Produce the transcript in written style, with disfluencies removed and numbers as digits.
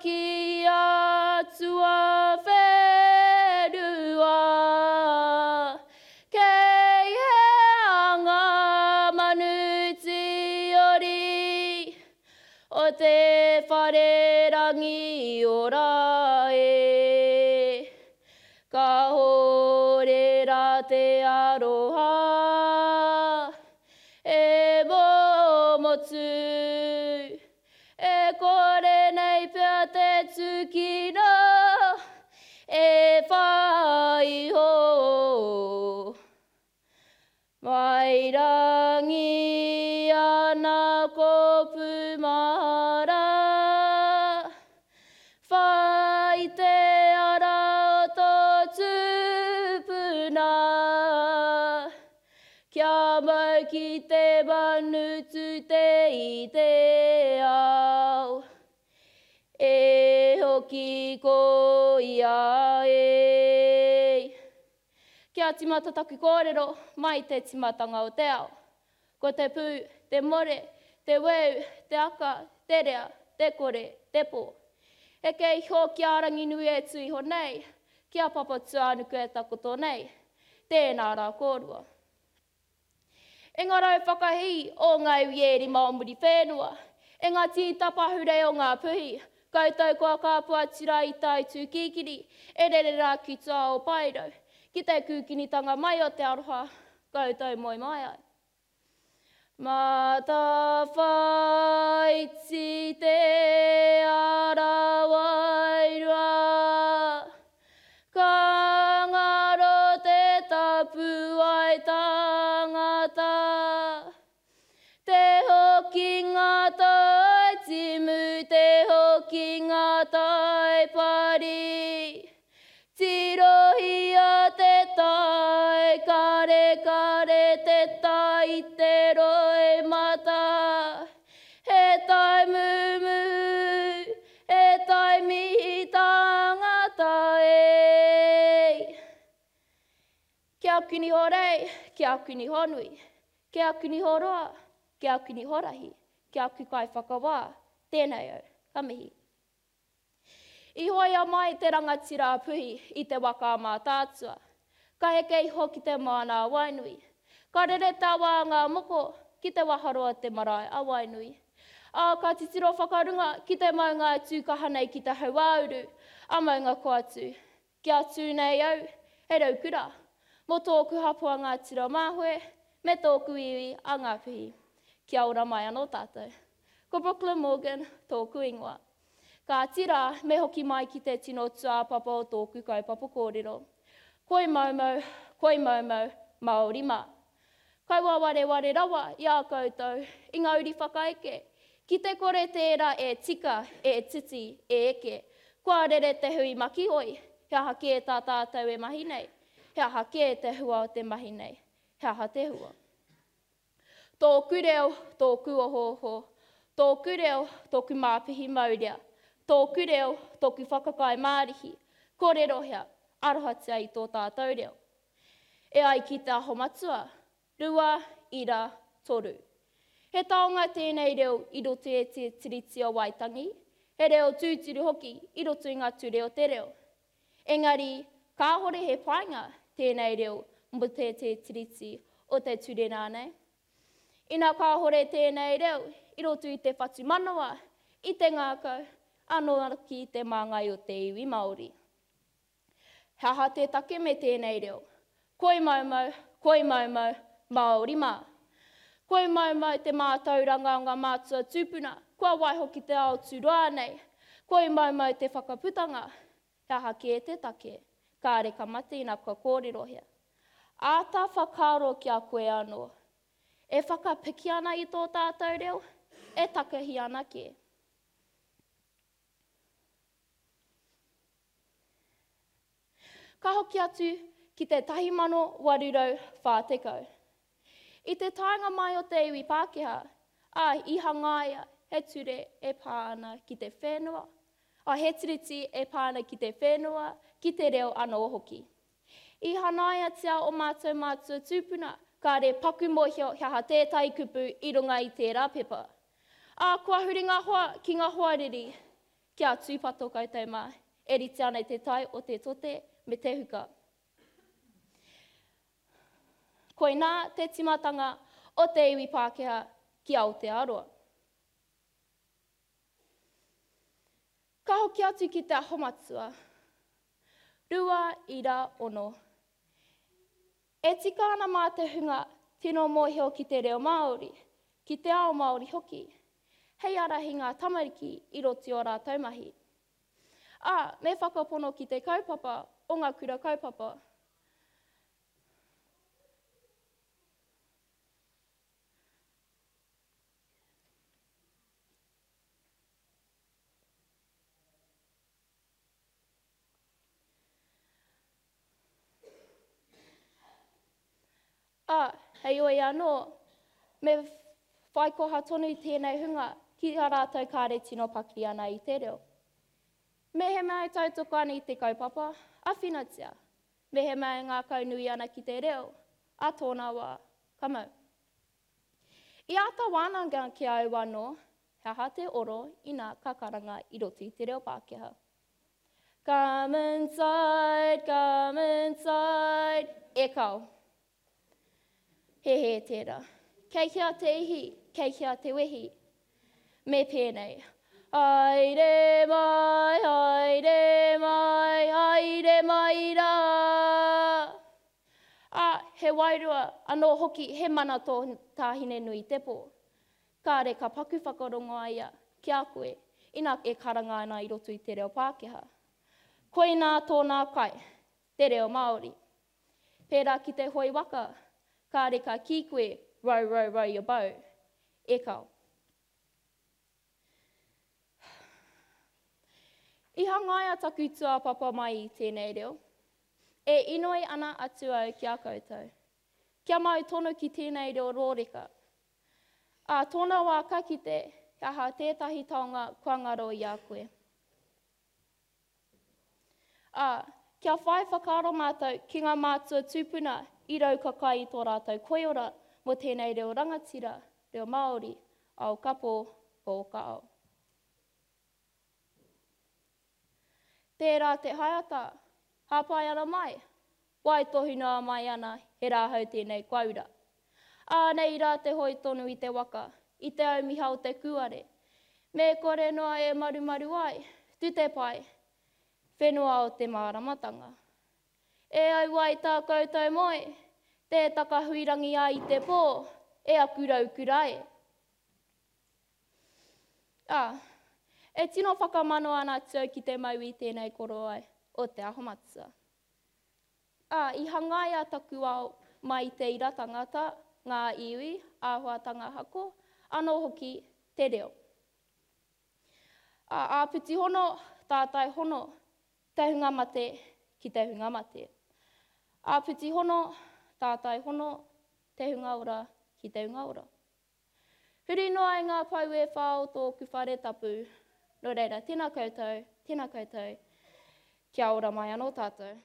ki a tuawhenua, Kei hea ngā manu tīori o te whare rangi ora e? Kāore rā te aroha e momotu, E kore nei pea te tūkino e whai iho. Mai rangi ana ko Pumara, Whai te ara o tō tupuna. Kia mau ki te manu tute i te ao, E hoki ko ia e. Kia timata taku kōrero mai te timatanga o te ao. Ko te pū, te more, te weu, te aka, te rea, te kore, te pō. Heke iho ki a Ranginui e tū iho nei, ki a Papatūānuku e takoto nei. Tēnā rā kōrua. E ngā rau whakahī o ngā iwi e rima o Muriwhenua, e ngā tīta pahurei o Ngā Puhi, koutou kua kāpua atu rā i tae tūkīkiri, e rere rā ki tua o Paerau, ki te kūkinitanga mai o te aroha, koutou moe mai ai. Matawhaiti te ara wairua, Ka ngaro te tapuwae tangata, Te hokinga tai timu, te hokinga tai pari, Tirohia te tai, karekare te tai i te roimata. He tai mumu, he tai mihi tangata e. Kia kiniho rei, kia kiniho nui, kia kiniho roa, kia kiniho rahi, kia ku kaiwhakawā, tēnei au, ka mihi. I hoea mai te rangatira a Puhi i te waka a Mātaatua. Ka heke iho ki te moana a Wainui. Ka rere te awa a Ngā Moko ki te waharoa te marae a Wainui. Ā, ka titiro whakarunga ki te maunga e tū kaha nei ki te hauāuru a Maungakoatu. Kia tū nei au, he raukura, mō tōku hapū a Ngāti Ruamāhoe me tōku iwi a Ngāpuhi. Kia ora mai anō tātou. Ko Brooklyn Morgan tōku ingoa. Kāti rā, me hoki mai ki te tino tūāpapa o tōku kaupapa kōrero. Koi moumou, koi moumou, Māori mā. Kaua wareware rawa i a koutou, i ngā uri whakaeke. Ki te kore tērā e tika, e titi, e eke, kua rere te hui makihoi, he aha kē tā tātou e mahi nei? He aha kē te hua o te mahi nei? He aha te hua? Tōku reo, tōku ohooho, Tōku reo, tōku māpihi maurea, Tōku reo, tōku whakakai mārihi, Kōrerohia, arohatia i tō tātou reo. E ai ki Te Aho Matua, 2-3. He taonga tēnei reo i roto i te Tiriti o Waitangi, he reo tūturu hoki i roto i ngā ture o te reo. Engari, kāhore he painga tēnei reo mō te te Tiriti o te ture rānei. Ina kāhore tēnei reo i roto i te whatumanawa, i te ngākau, anō hoki i te māngai o te iwi Māori. He aha te take me tēnei reo? Koi maumau, koi maumau, Māori mā. Koi maumau te mātauranga o ngā mātua tūpuna kua waiho ki te ao tūroa nei. Koi maumau te whakaputanga. He aha kē te take? Kāre ka mate ina kua kōrerohia. Āta whakaaro ki a koe anō. E whakapiki ana i tō tātou reo? E takahi ana kē? Ka hoki atu ki te 1840. I te taenga mai o te iwi Pākehā, ā, i hangaia he ture e pā ana ki te whenua, ā, he tiriti e pā ana ki te whenua, ki te reo anō hoki. I hanaiatia ō mātou mātua tūpuna, kāre paku mōhio he aha tētahi kupu i runga i tērā pepa. Ā, kua huri ngā hoa ki ngā hoariri. Kia tūpato koutou mā, e rite ana i te tae o te tote me te huka. Koinā te timatanga o te iwi Pākehā ki Aotearoa. Ka hoki atu ki Te Aho Matua. 2.6. E tika ana mā te hunga tino mōhio ki te reo Māori, ki te ao Māori hoki, hei ārahi ngā tamariki i roto i ō rātou mahi. Ā, me whakapono ki te kaupapa o ngā kura kaupapa. Ā, heoi anō, me whai koha tonu tēnei hunga ki a rātou kāre tino pakiri ana i te reo. Mehemea e tautoko ana i te kaupapa, āwhinatia. Mehemea e ngākaunui ana ki te reo, ā tōna wā, ka mau. I āta wānanga ki a au anō, he aha te oro ina ka karanga i roto i te reo Pākehā. Come inside, come inside, e kao. He hē tērā. Kei hea te ihi, kei hea te wehi? Me pēnei. Haere mai, haere mai, haere mai rā. Ā, he wairua anō hoki, he mana tō tā Hinenuitepō. Kāre ka paku whakarongo a ia ki a koe, ina e karanga ana i roto i te reo Pākehā. Koinā tōnā kai, te reo Māori. Pērā ki te hoe waka, kāre ka kī koe, row, row, row your boat. E kao. I hangaia taku tuapapa mai i tēnei reo. E inoi ana atu au ki a koutou, kia mau tonu ki tēnei reo rōreka. Ā tōna wā ka kite he aha tētahi taonga kua ngaro i a koe. Ā, kia whai whakaaro mātou ki ngā mātua tūpuna i raukakai i tō rātou koiora mō tēnei reo rangatira, reo Māori, ao ka pō, pō ka ao. Tērā te haeata, hāpai ana mai, waitohu noa mai ana he rāhau tēnei kua ura. Ānei rā te hoe tonu i te waka, i te aumiha o te kūare. Me kore noa e marumaru ai, tu te pae, whenua o te māramatanga. E au ai tā koutou moe, tē takahuirangi ai i te pō, e aku raukura e. Ā, e tino whakamano ana atu au ki te mau i tēnei korowai o Te Aho Matua. Ā, i hangaia taku ao mai i te ira tangata, ngā iwi, āhuatanga hako, anō hoki te reo. Ā, āpiti hono, tātai hono, te hunga mate ki te hunga mate. Āpiti hono, tātai hono, te hunga ora ki te hunga ora. Huri noa i ngā pou e whā o tōku whare tapu. Nō reira, tēnā koutou, tēnā koutou, kia ora mai anō tātou.